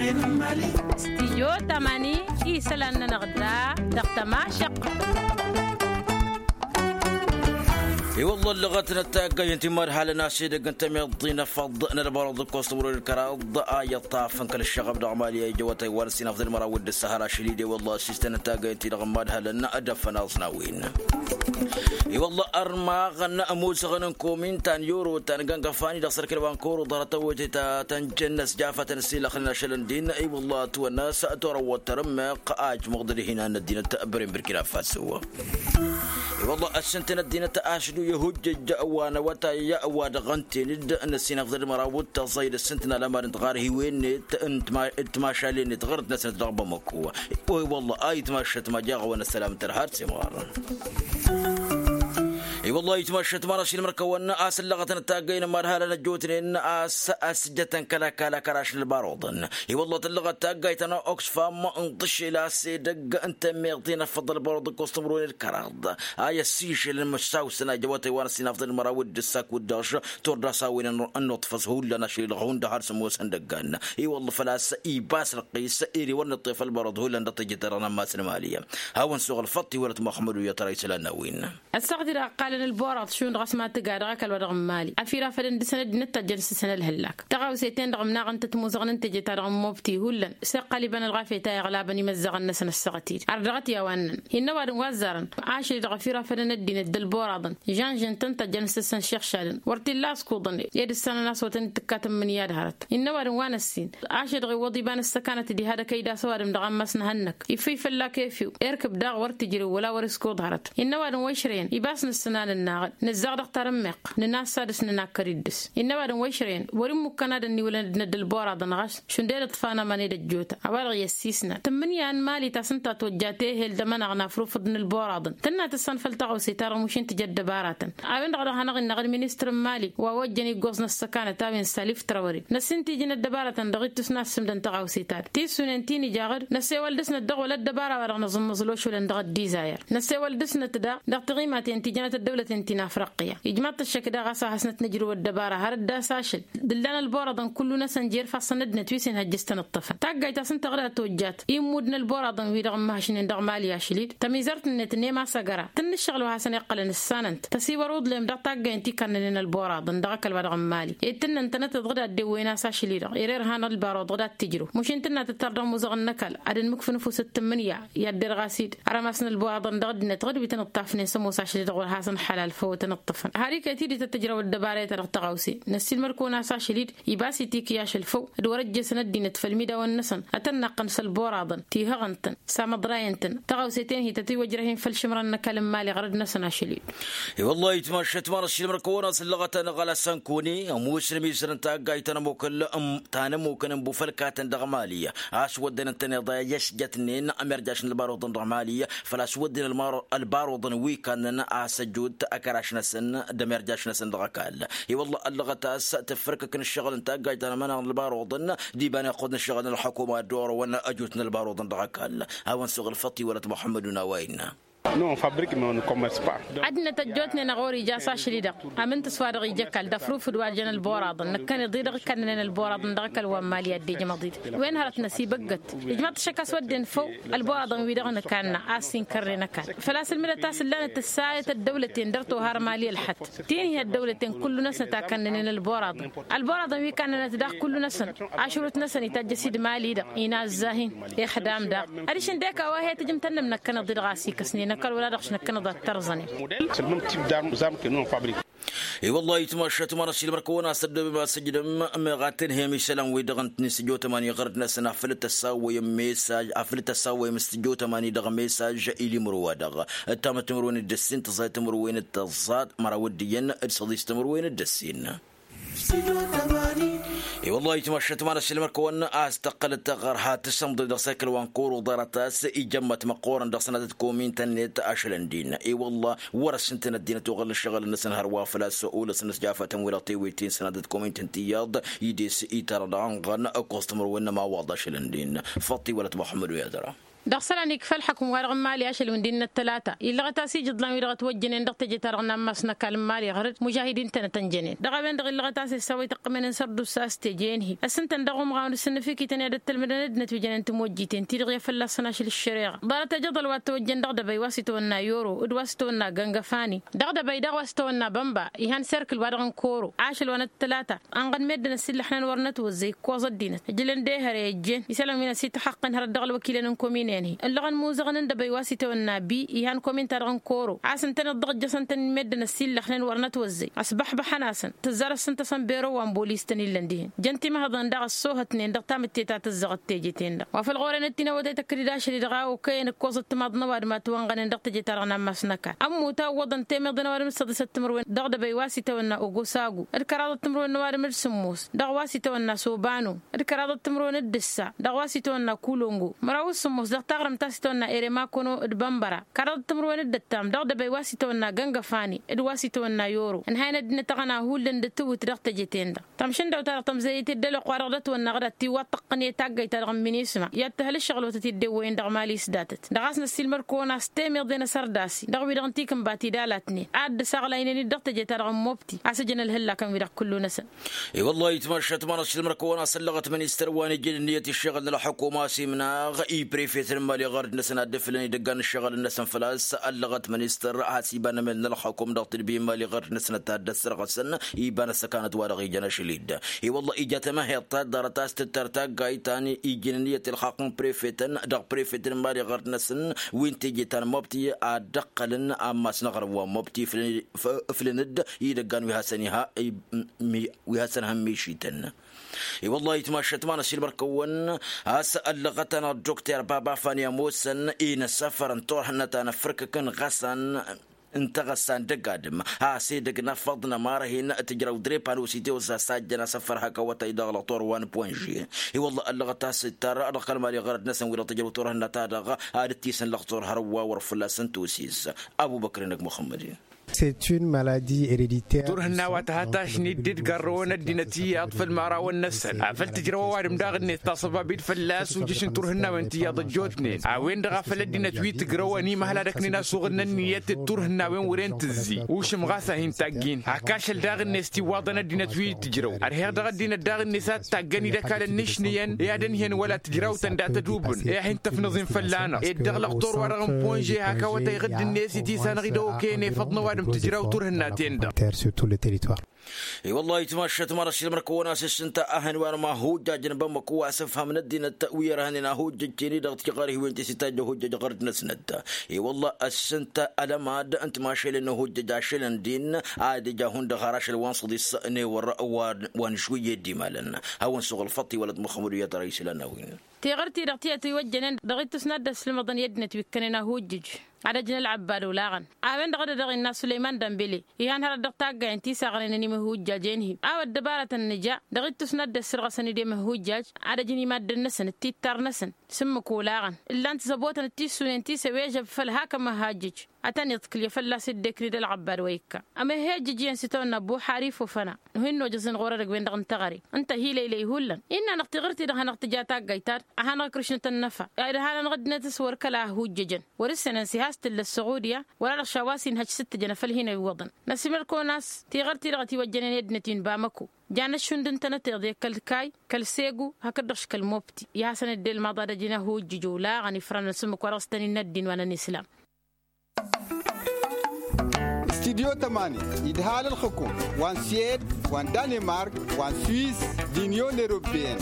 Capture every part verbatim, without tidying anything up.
Stijyo tamani isălan-nănăɣ da dăɣ-tămašăq. I-wălla ăllăɣăt n-ăttaggăy n-timadhalăn a-s edăgg n-tămiḍt n-efăḍ n-ălbărăḍ d-ǝkkoẓ timǝrwen d-kăraḍ a iyyăṭṭaf n-kăl-ăššăɣăb dăɣ-mali a ijăwăt a iwar ăssinăfḍăn măraw d-ǝssăhăr ašăl-i d-e-wălla ăssistăn n-taggăy n-ti-dăɣ n-imadhalăn. Dăɣ-făn aẓnawen i-wălla ărmaɣăn ămoosăɣăn n-komintan i-orotan găngăfani dăɣ-sărkăl wa n-kăwăr uḍarăt ăwwăyăt ta tănjăn n-ăsjafătăn ăssiilăxnen ašăl n-din i-wălla ătwănna s-torăwwăt tărǝmmeɣ a ijmăɣ d-ădhinan n-ăddinăt băren bărkina faso. I-wălla ăssintăn ăddinăt ašdu i-hujjăj wa n-awătay wa dăɣ-ǝnten-dd n-ăssinăfḍăd măraw d-tăẓẓăy d-ăssintăn alămad n-tiɣarhiwen-net n-timašalen-net ɣărăt-năsnăt dăɣ-bamăko. I-wălla a itmašăt majaɣ wa n-ăssălam tărha d-simɣar. I-wălla a itmašăt marašil mărkăwăn a-s ăllăɣătăn ăttaggăyăn n-imadhalăn ăjjootnen a-s ăsjătăn kăl-ăkall akăraš n-ălbaruḍăn. I-wălla tăllăɣăt taggayt ta n-oxfam n-ḍǝššel a-s edăgg n-tămmeḍt i-năfăḍ ălbaruḍ ǝkkoẓ timǝrwen d-kăraḍ a i-ăssišălăn măšsawsăn a ijăwătăy wa n-ăssinăfḍăn măraw d-ǝssak wǝddaš. Turda s-a-wen ănnuṭfăẓ hullan ašăl-i-dăɣ hundăɣ har s-ămoosăn dăggan. I-wălla făl-a-s ibas răqqis ere wăr nǝṭṭef ălbăruḍ hullan dăɣ-tejăt ta dăɣ-nămmas n-mali. Hawăn-suɣ ălfăṭṭ iwălăt muxămmăd u-iyyăt ra isălan n-a-wen. Ăssaɣt-i-dăɣ ăqqalăn ălburaḍ šund ɣas ma tǝga dăɣ-ăkall wa dăɣ-n mali afirafădăn dăr-săn ăddinăt tajjăn s-săn ălhăllak. Taɣawse-ten-dăɣ ǝmnaɣăn-tăt imuzăɣăn n-teje-ta-dăɣ n-mobti hullan s-iqqăl iba n-ălɣafyăt a iɣlabăn imăzzăɣăn-năsăn ăssaɣt-i-dăɣ ardăɣăt i-a-wa ǝnnăn. Innă ăwadǝm wa ăzzarăn ašăl-i-dăɣ afirafădăn ăddinăt d-ălburaḍăn žănžăn-tăn tajjăn s-săn šiɣšadăn wăr t-illa askuḍăn ed ǝssanăn a-s wăr tăn-dd-tǝkka tǝmmǝnǝya d-hărăt. Innă ăwadǝm wa n-ăssin ašăl-i-dăɣ iwwăḍ iba n-ăssăkanăt diha d-akăyda a-s ăwadǝm dăɣ-ammas n-ehănnăk iffǝy fălla-k efew erk ǝbdaɣ wăr t-ǝjrǝw wăla wăr-iskuḍ hărăt. Innă ăwadǝm wa išrăyăn ibas nǝssǝnanănnaɣ-dd nǝzzăɣ dăɣ-tarǝmmeɣt nǝnassa dăɣ-s nǝnakkăr-dd dăɣ-s. Innă ăwadǝm wa išrăyăn wăr-immukkan ad-ănniwǝlăn ăddinăt d-ălburaḍăn ɣas šund e-d ǝṭṭfanămăn ed ăjjootăn a-wa-dăɣ i-ăssiisnan tǝmmǝnǝya n-mali ta s-ǝnta tojjat ehel d-amănăɣ n-afrufǝḍ n-ălburaḍăn tǝnna tǝssanfăl taɣawse-ta-dăɣ mušin tǝja ăddăbaratăn. A-wen-dăɣ a dăɣ-hanăɣ-innăɣ d-ministăr n-mali wa ojjăn iggoẓ n-ăssăkanăt a-wen salif trawăre năssin tijǝn ăddăbaratăn dăɣ-ittus n-ad-sǝmdăn taɣawse-ta-dăɣ tissunen ti n-ijaɣ-dd năsewăl dăɣ-snăt dăɣ-wăla ăddăbara wa dăɣ-năẓǝmmăẓ lošulăn dăɣ-ăddizayăr. Năsewăl dăɣ-snăt daɣ dăɣ-tiɣimaten ti jănăt ăddăwlăten ti n-afriqqiya ijmaḍ-t ăššăk daɣ a-s ad-hasnăt nǝjrǝw ăddăbara har dd-asašăl. D-ǝllan ălburaḍăn kullu-năsăn jer-ifassăn ăddinăt wi s-inhăjjǝs tăn-ǝṭṭăfăn taggayt ta s-ǝnta ɣǝd a tojjat immud n-ălburaḍăn-wi-dăɣ ǝmmăhăšnen dăɣ-mali ašăl-i-dd tămizărt-net n-e-ma s-ăgăra tǝnnǝššăɣǝl wa hasăn-iqqălăn ǝssanăn-t tăsiwărǝwḍlem dăɣ-taggay n-tikannănen ălburaḍăn dăɣ-ăkall wa dăɣ-n mali ed tǝnnăn-tănăt-dd ɣǝd a dd-ewwen a-s ašăl-i-dăɣ ere irhan ălbaruḍ ɣǝd ad-t-ǝjrǝw mušin tǝnna tăttar dăɣ-imuzăɣăn n-ăkall ad-ănmǝkfǝnǝf s-ǝttǝmmǝnǝya i-ad-derɣas-dd arămas n-ălburaḍăn dăɣ-ăddinăt ɣǝd wi tăn-ǝṭṭafnen s-ămoos ašăl-i-dăɣ wăr hasăn-ălḥalal făw tăn-ǝṭṭăfăn. Har iket-dd tăt-tǝjrăw ăddăbara i-ta-dăɣ tăɣawse năssiilmăd-kăwăn a-s ašăl-i-dd ibas itikǝy ašăl făw d-wăr-ăjjeesăn ăddinăt făll-imidawăn-năsăn ad-tăn-naqqăn s-ălburaḍăn tihăɣăn-tăn samăḍrayăn-tăn. Tăɣawse-ten-hi tătiwăjrăh-in făll-išǝmran n-ăkall n-imali ɣărăd-năsăn ašăl-i-dd. I-wăllah itmašăt ma n-ašilmăr-kăwăn a-s ǝllăɣăt anăɣăl asănkune ămoosăn ămizăr n-taggayt ta n-ămokăl ta n-ămokăn n-bufălkatăn dăɣ-mali a-s wădden ǝntăneḍ a i-ăsjătnen ămirjaš n-ălbaruḍăn dăɣ-mali. Făl-a-s wădden ălbaruḍăn wi kannăn a-s ăjut ăkăraš-năsăn d-ămirjaš-năsăn dăɣ-ăkall. I-wăllah ăllăɣăt a-s tǝffărkăkăn ǝššăɣǝl n-taggajt ta n-amănăɣ n-ălbaruḍăn d-iba n-iqqud n-ǝššăɣǝl n-ălḥukuma d-orăwăn ăjut n-ălbaruḍăn dăɣ-ăkall. Hawăn-suɣ ălfăṭṭ iwălăt muḥămmăd unaway-năɣ. Ad-dd-năt ăjjootnen ăɣori ija a-s ašăl-i-dăɣ amǝnta s-wa-dăɣ ija ăkall d-afrufǝd wa jăn ălboraḍăn năkkăneḍ-i-dăɣ ǝkkannănen ălboraḍăn dăɣ-ăkall wa n-mali ad-dd-ijmăḍ-dd. Wen hărăt năsibăggăt ijmaḍ-t ašăk a-s wădden făw ălboraḍăn-wi-dăɣ nǝkanna a-s inkărnen ăkall. Făl-a-s ǝlmǝdăt a-s ǝllanăt ǝssayăt ăddăwlăten dăr-tohar mali ălxăt ti n-hi-ăddăwlăten kullu-năsnăt a kannănen ălboraḍăn. Ălboraḍăn wi kannănăt daɣ kullu-năsăn ašrut-năsăn itajjăs-dd mali-dăɣ inazza-hin. Ixdam daɣ adiš ǝndek a-wa hi-tǝjǝm tănnăm năkkăneḍ-i-dăɣ a-s ikăsnen ăkall wăla dăɣ-s năkkăneḍ ad-t-ărẓănen. I-wăllah itmašat ma n-ašilmăr-kăwăn a-s ăddobem a-s ǝjdăm meɣ ad-tǝnhăyăm isălan-wi-dăɣ n-tinǝsjotămani ɣărăd-năsăn afăl t-ăssawăyăm mesaj afăl t-ăssawăyăm s-tǝjotămani dăɣ-mesaj. Ilimǝro-wa dăɣ-ăttamăt timǝrwen d-ǝssin tǝẓẓay timǝrwen d-tăẓẓaḍ măraw d-iyyăn d-săḍis timǝrwen d-ǝssin. I-wăllah itmašat ma n-ašilmăr-kăwăn a-s tăqqălăt taɣărha tǝsǝmḍăy dăɣ-s ăkall wa n-kăwăr uḍarăt a-s ijămmăt măqqoorăn dăɣ-sănatăt komin-tăn-net ašălăn din. I-wăllah wăr-ăssintăn ăddinăt oɣălăn ǝššăɣǝlăn-năsăn hărwa făl-a-s olăsăn s-jafătăn wi-dăɣ tewăyt-in sănatăt komin-tăn-tiyyăḍ. Ides itarăḍ anɣăn ǝkkoẓ timǝrwen n-ămawaḍ ašălăn din. Făṭṭi wălăt muḥămmăd u-yadăra. Dăɣ-isălan ikfa ălxukǝm-wa-dăɣ n-imali ašăl wi n-dd-inna ăttălata illăɣăt-as ijǝḍlan wi-dăɣ ătwăjjănen dăɣ-teje-ta-dăɣ n-ammas n-ăkall n-imali ɣăr-dd mužahidin-tăn ătănjănen dăɣ-a-wen-dăɣ illăɣăt-as essa wa ităqqǝmnen n-sărdusa a-s teje-en-hi ăssintăn dăɣ-umɣawen d-sǝnnǝfikităn i-ad-ăttălmǝdăn ăddinăt wi jănen timojjiten ti-dăɣ i-ad-fălla-săn ašăl ǝššăreɣa. Ḍarăt ejăḍăl wa t-tăwăjjăn dăɣ-dăbăy wa s-itawănna yoro d-wa s-itawănna găngăfani dăɣ-dăbăy daɣ wa s-itawănna bănba ihan serkǝl-wa-dăɣ n-koro ašăl wa n-ăttălata. Ănɣăd meddǝn ăsillăxnen wăr nătwăzzăy ǝkkoẓ ăddinăt ǝjlăn d-ehăre ăjjeen isălan wi n-asităxxăqqăn hărăt dăɣ-ălwăkilăn n-komin-en-hi ǝllăɣăn muzăɣăn n-dăbăy wa s-itawănna bi ihan komin-ta-dăɣ n-koro a-s ǝntăneḍ dăɣ-ǝjjăsăn-tăn meddǝn ăsillăxnen wăr nătwăzzăy ăsbăḥbăḥăn-asăn tǝzzar ăssintăsăn bero wa n-bolis-tăn illăn dihen jăn timăhăḍăn daɣ ăssohătnen dăɣ-tamǝtte ta tǝzzăɣăt teje-ten-dăɣ wa făl ɣur-en ăddinăwăt a ităkkăd-dd ašăl-i-dăɣ a okăyăn ǝkkoẓăt timaḍ n-ăwadǝm a tiwănɣănen dăɣ-teje-ta-dăɣ n-ammas n-ăkall ămmut a ǝwwăḍăn temeḍe n-ăwadǝm d-săḍisăt timǝrwen dăɣ-dăbăy wa s-itawănna ogosagu d-kăraḍăt timǝrwen n-ăwadǝm d-sǝmmos dăɣ-wa s-itawănna sobanu d-kăraḍăt timǝrwen d-ǝssa dăɣ-wa s-itawănna kulongo măraw s-sǝmmos dăɣ-taɣrǝmt ta s-itawănna eremakono d-bănbăra kăraḍăt timǝrwen d-ǝttam dăɣ-dăbăy wa s-itawănna găngăfani d-wa s-itawănna yoro ǝnhayăn ăddinăt aɣăna hullan d-atiwǝt dăɣ-teje-ten-dăɣ. Tamšǝndăwt-ta dăɣ-tămzăyăt i-dd-ălwăqq-wa-dăɣ d-ătwănna ɣǝd ad-tiwwăḍ tăqqǝne taggayt-ta-dăɣ n-minisma i-ad-tǝhǝl ǝššăɣǝl-wătăt i-dd-ewwăyăn dăɣ-mali s-datăt dăɣ-a-s năssiilmăd-kăwăn a-s temeḍe n-asărdasi dăɣ-wi-dăɣ n-tikǝnba ti d-alatnen ad-dd-saɣlaynen-dd dăɣ-teje-ta-dăɣ n-mobti a-s ǝjǝn ălhǝllakăn-wi-dăɣ kullu-năsăn. I-wăllah itmašat ma n-ăssiilmăd-kăwăn a-s ăllăɣăt ministăr wa n-ijăn ǝnniyăt iššăɣǝl n-ălxukum a-s imnaɣ i-prefet n-imali ɣărd-năsăn ad-dd-ǝflăn idăggan n-ǝššăɣǝl-năsăn făl-a-s ăllăɣăt ministăr a-s iba n-emel n-ălxukum dăɣ-tedbi n-imali ɣărd-năsăn ad-t-dd-ăssărɣăsăn iba n-ăssăkanăt wa-dăɣ ijăn ašăl-i-dd. I-wălla ija tamaheḍt ta ḍarăt a-s tǝttăr taggayt ta n-ijăn ǝnniyăt ilxaqq n-prefetăn dăɣ-prefet n-imali ɣărd-năsăn wi n-teje ta n-mobti ad-dd-ăqqălăn ammas n-aɣrǝm wa n-mobti ǝflăn-dd idăggan wi hasăn-iha wi hasăn-hăn mišităn. I-wăllah itmašat ma n-ăsilmăr-kăwăn a-s ăllăɣăt-anăɣ dokter baba fani ămoosăn inăsăfăr n-turhǝnna ta n-ăffărkăk n-ɣăsan n-taɣăssa n-dăgg-adǝm a-s edăgg n-afăḍ n-ămar hin-tǝjrăw d-repanusite osas a ǝjjăn asăfăr hak awătay dăɣ-lăɣtor wa n-ponže. I-wăllah ăllăɣăt a-s ǝttar dăɣ-kăl-mali ɣărăt-năsăn wi-dăɣ tǝjrăw turhǝnna-ta-dăɣ ad-dd-tisǝnlăɣ turhărăw wa wăr fălla-săn tosis. Abubăkr-inăk muxămmăd-in. Turhǝnna wa tăha tašnit d-dd-garrăwăn ăddinăt iyyăḍ făll-imărawăn-năsăn afăl tǝjrăw ăwadǝm daɣ-net tasăbabit fălla-s ujǝš n-turhǝnnawen tiyyăḍ ăjjootnen a-wen-dăɣ a făl ăddinăt wi tǝjrăwăn imăhăl ad-ăknen asuɣǝl n-ǝnniyăt d-turhǝnnawen wăren tǝzzi ušǝm ɣas a hin-taggin hak ašăl daɣ-net tiwwaḍăn ăddinăt wi tǝjrăw ărheɣ dăɣ-ăddinăt daɣ-net a t-taggăn idăkalăn n-išnǝyăn i-ad-ănhǝyăn wăla tǝjrawtăn dat-ădubǝn i-ad-hin-tăfnǝẓ-in fălla-năɣ ed dăɣ-lăxtor-wa-dăɣ n-ponže hak awătay ɣǝdd-net i-tisănăɣ-i d-okăyăn efăḍ n-ăwadǝm tǝjraw turhǝnna-ten-dăɣ. I-wăllah itmašat ma n-ăsilmăr-kăwăn a-s ǝssǝnta ahăn wa n-imahujjaj n-bamăko wa s-ǝfhămăn ăddinăt wi ărhănen ahujjăj-ten-i-dăɣ tiɣărhiwen ti s-itajj ahujjăj ɣărd-năsnăt. I-wăllah ǝssǝnta ălămad n-timašălen n-ahujjăj ašălăn din ad-ija hundăɣ har ašăl wa n-săḍis n-ewăr wa n-išwǝyye d-imalăn. Hawăn-suɣ ălfăṭṭ iwălăt muxămmăd u-iyyăḍ răy isălan n-a-wen. Tiɣǝrt-i-dăɣ tiyyăt iwăjjănen dăɣ-ittus n-ad-dd-ăslǝmăḍăn i-ăddinăt wi ǝkkănen ahujjǝj ad-ăjǝn ălɣăbbad olaɣăn. A-wen-dăɣ a dd-dăɣ-innă sulăyman dămbele ihan hărăt dăɣ-taggayen ti s-aɣrăynen imăhujjaj-en-hi a-wa ăddăbarătăn nǝja dăɣ-ittus n-ad-dd-ăssărɣăsăn-dd imăhujjaj ad-ăjǝn i-maddǝn-năsăn d-tittar-năsăn. S-ǝmmǝk olaɣăn ǝllan-t zăbotăn d-tissunen ti s-ewežăb făll-hak ămăhajjǝj. Ad-tăn-iḍkǝlye fălla-s dd-ekni d-ălɣăbbad wa ikka. Ămăhhejjǝj iyyăn s-itawănna buḥari fofăna. Nuhin nojăẓ-in ɣur-edăgg-wen-dăɣ n-teɣăre ǝnta hi-lăylăy hullan innă-năɣ tiɣǝrt-i-dăɣ hanăɣ-tǝja taggayt-ta-dăɣ a hanăɣ-ikrǝšnăt ănnăfa. Ed hanăn-dăɣ ăddinăt s-wăr kăla ăhujjăjăn wăr-ǝssenăn s-ihastǝllăt săɣudya wăla-dăɣ šawa s-inhăj s-t-tǝjăn afăl hin-ăyuwăḍăn. Năsimăr-kăwăn a-s tiɣărt-i-dăɣ ătiwăjjănen i-ăddinăt wi n-bamăko. Jan ăššund ǝntănăteḍ i-kăl-kay kăl-segu hakd-dăɣ-š kăl-mobti. I-hasăn-dd-ilmaḍ ad-ăjǝn ahujjǝj olaɣăn ifrăn s-ǝmmǝk wa dăɣ-s tăn-innă ăddin wa n-ănislam. Studyo tămani idhal ălxǝkum wa n-swed wa n-danemark wa n-swiss d-inyon eropeyăn.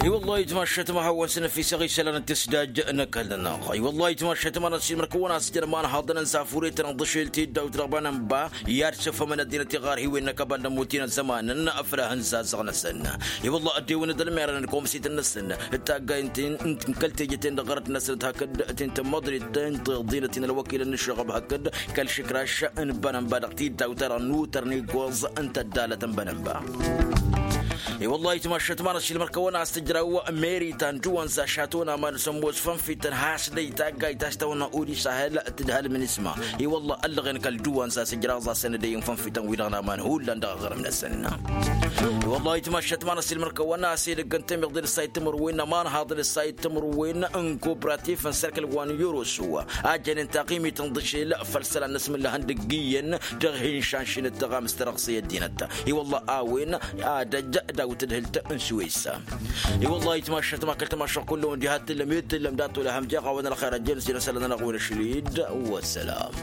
I-wăllah itmašat ma hawăn-săn ăfisăɣ isălan n-tisdaj n-ăkall-nănăɣ. I-wăllah itmašat ma n-ăsimăr-kăwăn a-s jăn ma n-haḍăn n-safure-tăn n-ḍăšel tiddawt dăɣ-banănba i-ad-săfhămăn ăddinăt iɣarhiwen n-ăkăbal n-ămmut-in ăzzăman n-afălahăn zazzăɣ-năsăn. I-wăllah ăddewăn d-ălmerăn n-komsit-năsăn d-taggayt n-kăl-teje-ten-dăɣ ɣărăt-năsăn hakd ti n-tămmăḍrit n-tiḍinăt-in ălwăkilăn n-ǝššăɣăb hakd kăl-išǝkraš n-bănănba dăɣ-tiddawt-ta-dăɣ n-utăr n-iggoẓ n-tăddalăt n-bănănba. I-wălla itmašăt ma n-ašilmăr kăwăn-as tǝjraw meri ta n-dăwăn za šatăwăn aman s-ămoos fănfităn has-dăy taggayt a-s tawănna uri sahel tǝdhăl minisma. I-wălla ăllăɣen kăl-dăwăn za s-ǝjraẓ a-s ănădăyăn fănfităn wi-dăɣ n-aman hullan dăɣ-aɣrǝm-năsăn. I-wălla itmašăt ma n-ašilmăr kăwăn-as edăgg n-temăḍe d-ăssayǝt timǝrwen n-aman haḍăn ăssayǝt timǝrwen n-kopratif n-sărkăl wa n-yorosu a jănen taɣimit n-dăšel făll-isălan n-asmǝllăhăn dăgg-iyyăn dăɣ-hin-šanšinăt tăɣamǝst ta dăɣ-s i-ăddinăt. I-wălla a-wen ad-ăj daw-tǝdhǝlt n-suwes. I-wălla itmašăt ma kăl-tamašăɣ kull-wen diha t-tǝllăm i-tǝllăm dat-wăla hamjeɣ a-wen ălxer ăjjăn s-inăsălăn ănăɣ-wen ašlid. Wăsălam.